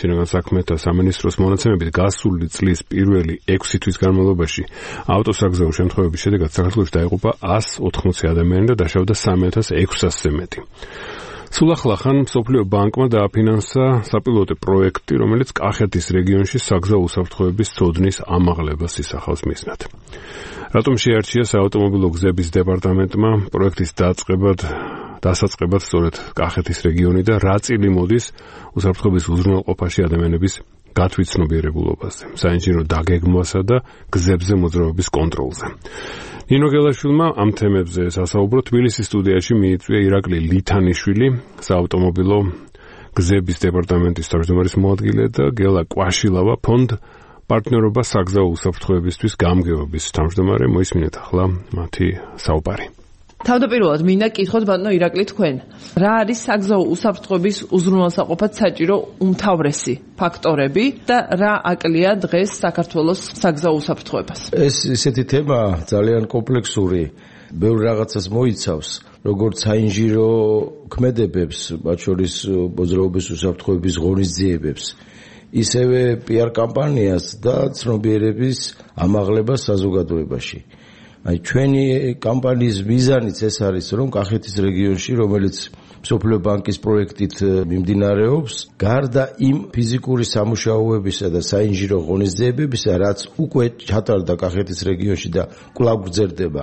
შინაგან საქმეთა სამინისტროს მონაცემებით გასული წლის პირველი 6 თვის განმავლობაში ავტოსაგზაო შემთხვევების შედეგად საქართველოში დაიღუპა 180 ადამიანი და დაშავდა 3600-ზე მეტი. სულ ახლახან მსოფლიო ბანკმა დააფინანსა საპილოტო პროექტი, რომელიც კახეთის რეგიონში საგზაო უსაფრთხოების ცოდნის ამაღლებას ისახავს მიზნად. რატომ შეარჩია საავტომობილო გზების დეპარტამენტმა პროექტის დასაწყებად სწორედ კახეთის რეგიონი და რა წილი მოდის უსაფრთხოების უზრუნველყოფაში ადამიანების გათვითცნობიერებულობაზე, საინჟინრო დაგეგმვასა და გზებზე მოძრაობის კონტროლზე. ნინო გელაშვილმა ამ თემებზე სასაუბრო თბილისის სტუდიაში მიიწვია ირაკლი ლითანიშვილი, საავტომობილო გზების დეპარტამენტის თავმჯდომარის მოადგილე და გელა კვაშილავა, ფონდ პარტნიორობა საგზაო უსაფრთხოებისთვის გამგეობის თავმჯდომარე. მოისმინეთ ახლა მათი საუბარი. თავდაპირველად მინდა კითხოთ ბატონო ირაკლი თქვენ, რა არის საგზაო უსაფრთხოების უზრუნველსაყოფად საჭირო უმთავრესი ფაქტორები და რა აკლია დღეს საქართველოს საგზაო უსაფრთხოებას? ეს ისეთი თემა ძალიან კომპლექსური, ბევრ რაღაცას მოიცავს, როგორც საინჟინრო ქმედებებს, მათ შორის მოძრაობის უსაფრთხოების ღონისძიებებს, ისევე PR კამპანიას და ცნობიერების ამაღლებას საზოგადოებაში. ჩვენი კამპანიის მიზანიც ეს არის, რომ კახეთის რეგიონში, რომელიც მსოფლიო ბანკის პროექტით მიმდინარეობს, გარდა იმ ფიზიკური სამუშაოებისა და საინჟინრო ღონისძიებებისა, რაც უკვე ჩატარდა კახეთის რეგიონში და კვლავ გრძელდება,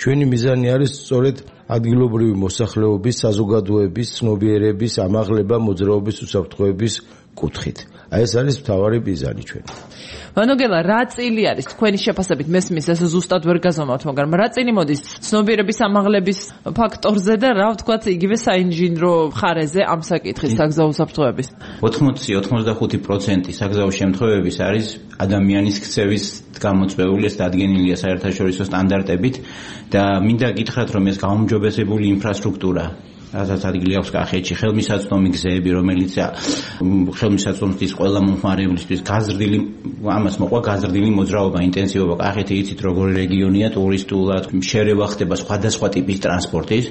ჩვენი მიზანი არის სწორედ ადგილობრივი მოსახლეობის, საზოგადოების, ცნობიერების ამაღლება მოძრაობის უსაფრთხოების კუთხით. ეს არის მთავარი მიზანი ჩვენი. ვანოგელა, რა წილი არის თქვენი შეფასებით მესმის ეს ზუსტად ვერ გაზომავთ, მაგრამ რა წილი მოდის ცნობიერების ამაღლების ფაქტორზე და რა ვთქვათ იგივე საინჟინრო მხარეზე ამ საკითხის საგზაო უსაფრთხოების? 80-85% საგზაო შემთხვევების არის ადამიანის ქცევის გამოწვეული, ეს დადგენილია საერთაშორისო სტანდარტებით და მინდა გითხრათ, რომ ეს გაუმჯობესებული ინფრასტრუქტურა რასაც ადგილი აქვს კახეთში, ხელმისაწვდომი გზები, რომელიც ხელმისაწვდომის ყველა მომხმარებლისთვის ამას მოყვა გაზრდილი მოძრაობა, ინტენსივობა. კახეთი იცით როგორი რეგიონია ტურისტულად, შერევა ხდება სხვადასხვა ტიპის ტრანსპორტის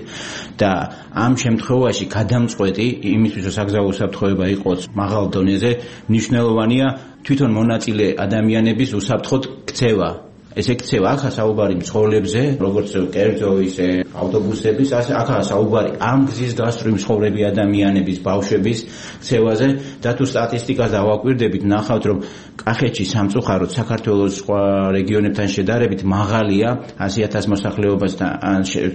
და ამ შემთხვევაში გადამწყვეტი იმისთვის, რომ საგზაო უსაფრთხოება იყოს მაღალ დონეზე, მნიშვნელოვანია თვითონ მონაწილე ადამიანების უსაფრთხოდ ქცევა. ესე ქცევა, აქა საუბარი მცხოვრებზე, როგორც კერძო, ისე ავტობუსების, აქა საუბარი ამ გზის გასწვრივ მცხოვრები ადამიანების, ბავშვების ქცევაზე და თუ სტატისტიკას დავაკვირდებით, ნახავთ, რომ კახეთში სამწუხაროდ საქართველოს სხვა რეგიონებთან შედარებით მაღალია 100,000 მოსახლეობასთან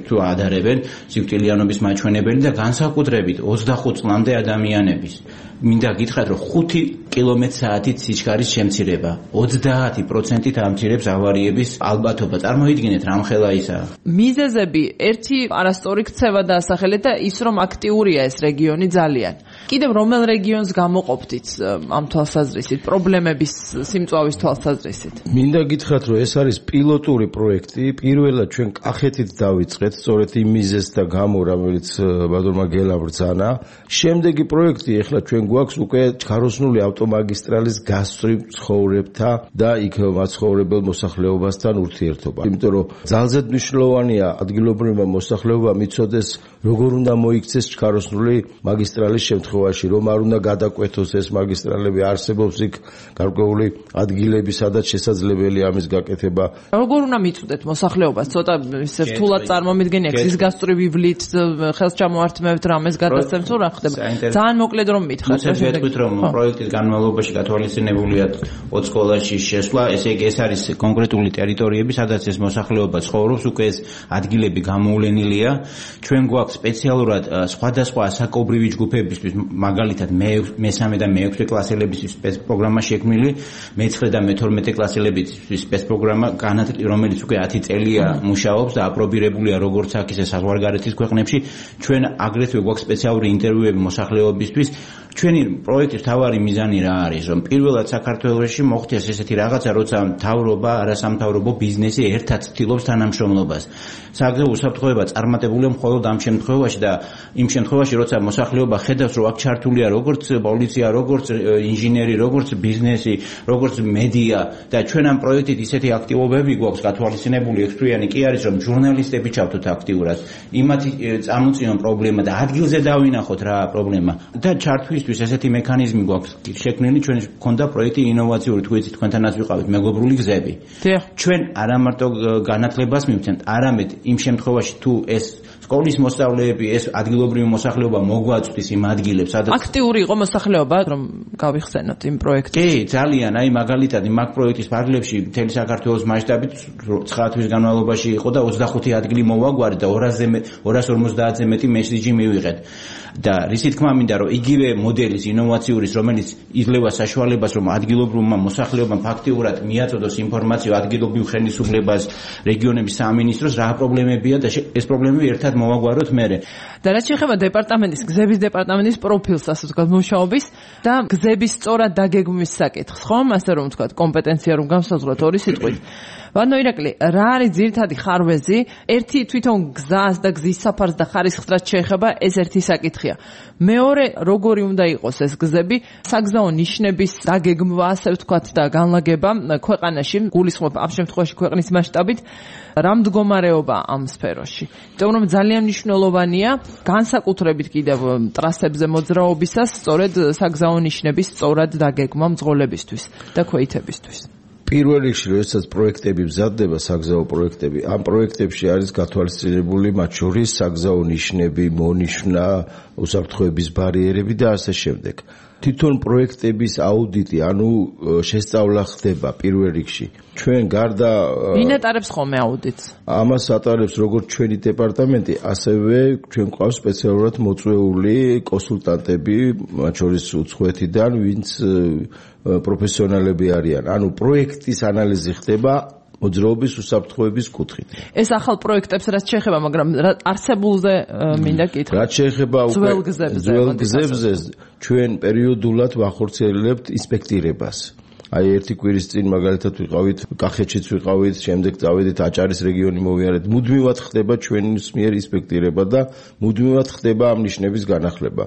თუ ადარებენ სიკვდილიანობის მაჩვენებელი და განსაკუთრებით 25 წლამდე ადამიანების. მინდა გითხრათ, რომ 5 კმ/სთ სიჩქარის შემცირება 30%-ით ამცირებს ავარიების ალბათობა. წარმოიდგინეთ, რამხელა ისაა. მიზეზები ერთი არასწორი ქცევა დაასახელეთ და ის რომ აქტიურია ეს რეგიონი ძალიან. კიდევ რომელ რეგიონს გამოყოფდით ამ თვალსაზრისით, პრობლემების სიმწვავის თვალსაზრისით? მინდა გითხრათ, რომ ეს არის პილოტური პროექტი. პირველად ჩვენ კახეთით დავიწყეთ, სწორედ იმ მიზეზთა გამო, რომელიც ბატონმა გელამ ბრძანა. შემდეგი პროექტი ეხლა ჩვენ გვაქვს უკვე ჩქაროსნული ავტომაგისტრალის გასწვრივ ცხოვრებთა და იქ მაცხოვრებელ მოსახლეობასთან ურთიერთობა. იმიტომ რომ ძალზედ მნიშვნელოვანია ადგილობრივმა მოსახლეობამ იცოდეს, როგორ უნდა მოიქცეს ჩქაროსნული მაგისტრალის შემთხვევაში, რომ არ უნდა გადაკვეთოს ეს მაგისტრალები, არსებობს იქ გარკვეული ადგილები, სადაც შესაძლებელია ამის გაკეთება. როგორ უნდა მიწვდეთ მოსახლეობას? ცოტა ისე რთულად წარმომიდგენია, გზის გასწვრივ ივლით, ხელს ჩამოართმევთ რამეს გადასცემთ, თუ რა ხდება? ძალიან მოკლედ რომ მითხრათ. ვეთქვით, რომ პროექტის განმავლობაში გათვალისწინებულია 20 სკოლაში შესვლა, ესე იგი ეს არის კონკრეტული ტერიტორიები, სადაც ეს მოსახლეობა ცხოვრობს, უკვე ეს ადგილები გამოვლენილია. ჩვენ გვაქვს სპეციალურად სხვადასხვა ასაკობრივი ჯგუფებისთვის, მაგალითად მე-3 და მე-6 კლასელებისთვის სპეცპროგრამა შექმნილი, მე-9 და მე-12 კლასელებისთვის სპეცპროგრამა, რომელიც უკვე 10 წელია მუშაობს და აპრობირებულია როგორც აქ, ისე საზღვარგარეთის ქვეყნებში. ჩვენ აგრეთვე გვაქვს სპეციალური ინტერვიუები მოსახლეობისთვის. ჩვენი პროექტის მთავარი მიზანი რა არის, რომ პირველად საქართველოში მოხდეს ესეთი რაღაცა, როცა მთავრობა, არასამთავრობო ბიზნესი ერთად ცდილობს თანამშრომლობას. საგზაო უსაფრთხოება წარმატებულია მხოლოდ ამ შემთხვევაში და იმ შემთხვევაში, როცა მოსახლეობა ხედავს, რომ აქ ჩართულია როგორც პოლიცია, როგორც ინჟინერი, როგორც ბიზნესი, როგორც მედია და ჩვენ ამ პროექტით ისეთი აქტივობები გვაქვს გათვალისწინებული, ექსპერტიანი კი არის, რომ ჟურნალისტები ჩავთოთ აქტიურად. იმათი წამოწიონ პრობლემა და ადგილზე დავინახოთ რა პრობლემა და ჩართვის ამისთვის ესეთი მექანიზმი გვაქვს შექმნილი, ჩვენ გვქონდა პროექტი ინოვაციური, თუ იცით, თქვენთანაც ვიყავით მეგობრული გზები. ჩვენ არა მარტო განათლებას მივცემთ, არამედ იმ შემთხვევაში თუ ეს სკოლის მოსწავლეები, ეს ადგილობრივი მოსახლეობა მოგვაწვდის იმ ადგილებს, სადაც აქტიური იყო მოსახლეობა, რომ გავიხსენოთ იმ პროექტს. კი, ძალიან, აი მაგალითად, მაგ პროექტის ფარგლებში მთელი საქართველოს მასშტაბით 9 თვის განმავლობაში იყო და 25 ადგილი მოვაგვარეთ და 250-ზე მეტი მესიჯი მივიღეთ. და რისი თქმა მინდა, რომ იგივე მოდელის ინოვაციური, რომელიც იძლევა საშუალებას, რომ ადგილობრივმა მოსახლეობამ ფაქტიურად მიაწოდოს ინფორმაცია ადგილობრივ ხელისუფლებას, რეგიონების სამინისტროს, რა პრობლემებია და ეს პრობლემები ერთად მოვაგვაროთ მერე. და რაც შეეხება დეპარტამენტის, გზების დეპარტამენტის პროფილს, ასე ვთქვათ, მუშაობის და გზების სწორად დაგეგმვის საკითხს, ხომ? ასე რომ ვთქვათ, კომპეტენცია რომ განსაზღვროთ ორი სიტყვით. ბატონო ირაკლი, რა არის ძირითადი ხარვეზი? ერთი თვითონ გზას და გზის საფარს და ხარისხს რაც შეეხება, ეს ერთი საკითხია. მეორე, როგორი უნდა იყოს ეს გზები, საგზაო ნიშნების დაგეგმვა, ასე ვთქვათ, და განლაგება ქვეყანაში, გულისხმობ ამ შემთხვევაში ქვეყნის მასშტაბით, რა მდგომარეობა ამ სფეროში. იმიტომ რომ ძალიან მნიშვნელოვანია განსაკუთრებით კიდევ ტრასებზე მოძრაობისას, სწორედ საგზაო ნიშნების სწორად დაგეგმვა მძღოლებისთვის და ქვეითებისთვის. პირველ რიგში, როდესაც პროექტები მზადდება, საგზაო პროექტები, ამ პროექტებში არის გათვალისწინებული მათ შორის საგზაო ნიშნები, მონიშნა, უსაფრთხოების ბარიერები და ასე შემდეგ. თვითონ პროექტების აუდიტი, ანუ შესწავლა ხდება პირველ რიგში. ჩვენ გარდა ვინ ატარებს ხოლმე აუდიტს? ამას ატარებს როგორც ჩვენი დეპარტამენტი, ასევე ჩვენ ყავს სპეციალურად მოწვეული კონსულტანტები, მათ შორის უცხოეთიდან, ვინც პროფესიონალები არიან. ანუ პროექტის ანალიზი ხდება მოძრაობის უსაფრთხოების კუთხით. ეს ახალ პროექტებს რაც შეეხება, მაგრამ არსებულზე მინდა კითხო. რაც შეეხება ძველ გზებზე, ჩვენ პერიოდულად ვახორციელებთ ინსპექტირებას. აი ერთი კვირის წინ მაგალითად ვიყავით კახეთშიც ვიყავით, შემდეგ წავედით აჭარის რეგიონი მოვიარეთ. მუდმივად ხდება ჩვენს მიერ ინსპექტირება და მუდმივად ხდება ამ ნიშნების განახლება.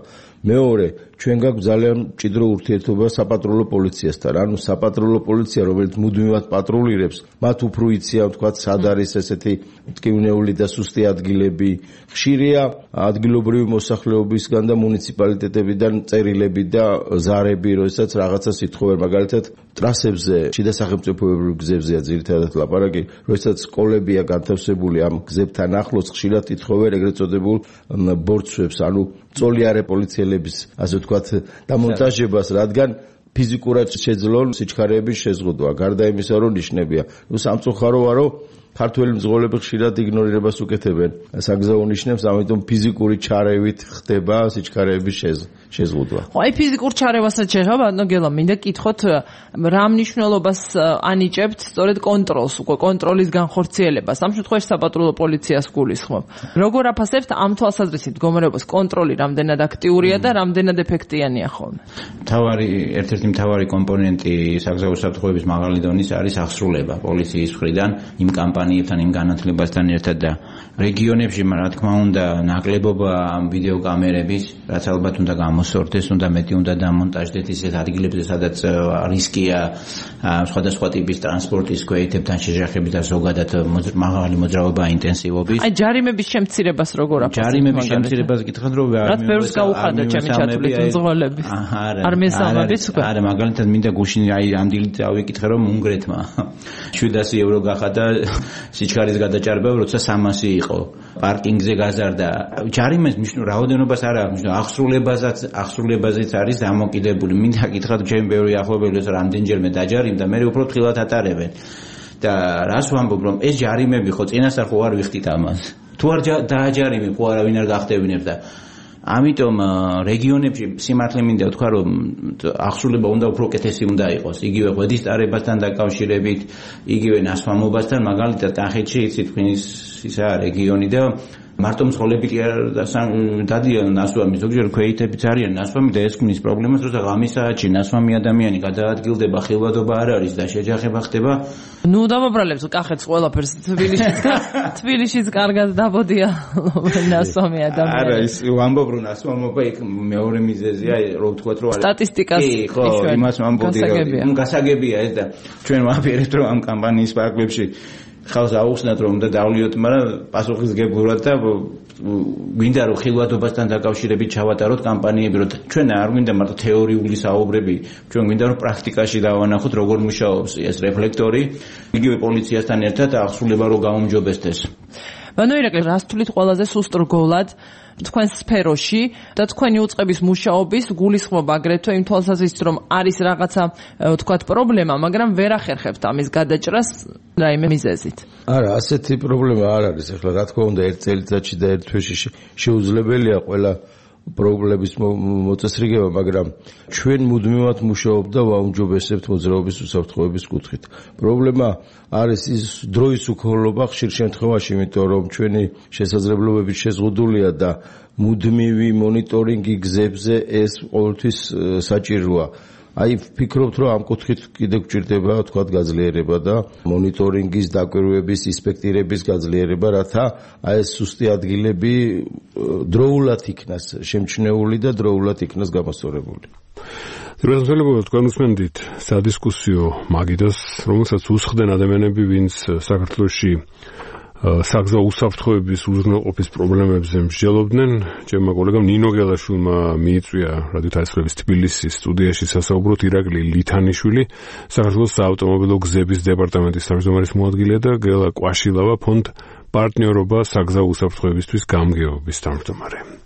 მეორე, ჩვენ გაქვს ძალიან მჭიდრო ურთიერთობა საპატრულო პოლიციასთან. ანუ საპატრულო პოლიცია, რომელიც მუდმივად პატრულირებს, მათ უფრო იციან, ვთქვათ, სად არის ესეთი მტკივნეული და სუსტი ადგილები. ხშირია ადგილობრივი მოსახლეობისგან და მუნიციპალიტეტებიდან წერილები და ზარები, როდესაც რაღაცას ითხოვენ, მაგალითად ტრასებზე, შიდა სახელმწიფოებრივ გზებზეა ძირითადად ლაპარაკი, როდესაც სკოლებია განთავსებული ამ გზებთან ახლოს, ხშირად ითხოვენ ეგრეთ წოდებულ ბორცვებს, ანუ წოლიარე პოლიციელების, ასე ვთქვათ, დამონტაჟებას, რადგან ფიზიკურად შეძლონ სიჩქარეების შეზღუდვა, გარდა იმისა, რომ ნიშნებია. ნუ სამწუხაროა, რომ ქართველი მძღოლები ხშირად იგნორირებას უკეთებენ საგზაო ნიშნებს, ამიტომ ფიზიკური ჩარევით ხდება სიჩქარეების შეზღუდვა. ხო, აი ფიზიკურ ჩარევასაც შეეხება, ბატონო გელა, მინდა კითხოთ, რა მნიშვნელობას ანიჭებთ სწორედ კონტროლს, უკვე კონტროლის განხორციელებას. ამ შემთხვევაში საპატრულო პოლიციას გულისხმობ. როგორ აფასებთ ამ თვალსაზრისით მდგომარეობას კონტროლი რამდენად აქტიურია და რამდენად ეფექტიანია ხოლმე? ერთ-ერთი მთავარი კომპონენტი საგზაო უსაფრთხოების მაღალი დონის არის აღსრულება პოლიციის მხრიდან იმ კამპანიებთან, იმ განათლებასთან ერთად და რეგიონებში, რა თქმა უნდა, ნაკლებობა ვიდეოკამერების, რაც ალბათ უნდა გამოსორდეს, უნდა მეტი უნდა დამონტაჟდეთ ისეთ ადგილებზე, სადაც რისკია სხვადასხვა ტიპის ტრანსპორტის ქვეითებთან შეჯახებით და ზოგადად მაღალი მოძრაობა ინტენსივობის. აი ჯარიმების შემცირებას როგორ აფასებთ? ჯარიმების შემცირებას გითხრათ, რომ რაც ბევრს გაუხადა ჩემი ჩათვლით მძღოლების. არ მესამების უკვე. არა, მაგალითად მინდა გუშინ აი ამ დილით ავიკითხე, რომ უნგრეთმა 700 ევრო გახადა სიჩქარის გადაჭარბება, როცა 300 იყო. პარკინგზე გაზარდა. ჯარიმის რაოდენობას არ აქვს, აღსრულებაზეც არის დამოკიდებული. მინდა გითხრათ, ჩემი ბევრი ახლობელი რამდენჯერმე დაჯარიმდა, მე უფრო ფრთხილად ატარებენ. და რას ვამბობ, რომ ეს ჯარიმები ხო წინასწარ ხო არ ვიხდით ამას. თუ არ დააჯარიმებ, ხო არავინ არ გახტევინებს და ამიტომ რეგიონებში სიმართლე მინდა ვთქვა, რომ აღსრულება უნდა უფრო კეთესი უნდა იყოს. იგივე ღვედის ტარებასთან დაკავშირებით, იგივე ნასვამობასთან, მაგალითად კახეთში იცით თქვენის ისა რეგიონი და მარტო მძღოლები კი არ დადიან ნასვამი, ზოგჯერ ქვეითებიც არიან ნასვამი და ეს ქმნის პრობლემას, როცა ღამის საათში ნასვამი ადამიანი გადაადგილდება, ხილვადობა არ არის და შეჯახება ხდება. ნუ დავაბრალებს კახეთს ყველაფერს თბილისშიც კარგად დაბოდია ნასვამი ადამიანი. არა, ის ვამბობ რომ ნასვამობა იქ მეორე მიზეზია, რო ვთქვათ რომ სტატისტიკას ხო, იმას ვამბობდი რომ გასაგებია ეს და ჩვენ ვაპირებთ რომ ამ კამპანიის ფარგლებში ხალხს აუხსნათ რომ უნდა დავლიოთ, მაგრამ პასუხისგებლურად და გვინდა რომ ხილვადობასთან დაკავშირებით ჩავატაროთ კამპანიები, რომ ჩვენ არ გვინდა მარტო თეორიული საუბრები, ჩვენ გვინდა რომ პრაქტიკაში დავანახოთ როგორ მუშაობს ეს რეფლექტორი, იგივე პოლიციასთან ერთად აღსრულება რომ გაუმჯობესდეს. ბანო ირაკლი, რას თulit ყველაზე სუსტ რგოლად თქვენ სფეროში და თქვენი უწყების მუშაობის გულისხმობა აგრეთვე იმ თვალსაზრისით რომ არის რაღაცა ვთქვათ პრობლემა, მაგრამ ვერ ახერხებთ ამის გადაჭრას რაიმე მიზეზით. არა, ასეთი პრობლემა არ არის. ახლა რა თქმა უნდა, ერთ წელიწადში და ერთ თვეში შეუძლებელია ყველა პრობლემის მოწესრიგება, მაგრამ ჩვენ მუდმივად მუშაობ და ვაუმჯობესებთ მოძრაობის უსაფრთხოების კუთხით. პრობლემა არის ის დროის უქოლობა ხშირ შემთხვევაში, იმიტომ რომ ჩვენი შესაძლებლობები შეზღუდულია და მუდმივი მონიტორინგი გზებზე ეს ყოველთვის საჭიროა. აი ვფიქრობთ რომ ამ კუთხით კიდევ გვჭირდება თქვათ გაძლიერება და მონიტორინგის, დაკვირვების, ინსპექტირების გაძლიერება, რათა აი ეს სუსტი ადგილები დროულად იქნას შემჩნეული და დროულად იქნას გამოსწორებული. Ძირითადად თქვენ უსმენთ სადისკუსიო მაგიდას, რომელსაც უსხდნენ ადამიანები, ვინც საქართველოში საგზაო უსაფრთხოების უზრუნველყოფის პრობლემებზე მსჯელობდნენ. ჩემმა კოლეგამ ნინო გელაშვილმა მიიწვია რადიო თასრების თბილისის სტუდიაში სასაუბროთ ირაკლი ლითანიშვილი, საქართველოს საავტომობილო გზების დეპარტამენტის თავმჯდომარის მოადგილე და გელა კვაშილავა ფონდ პარტნიორობა საგზაო უსაფრთხოებისთვის გამგეობის თავმჯდომარე.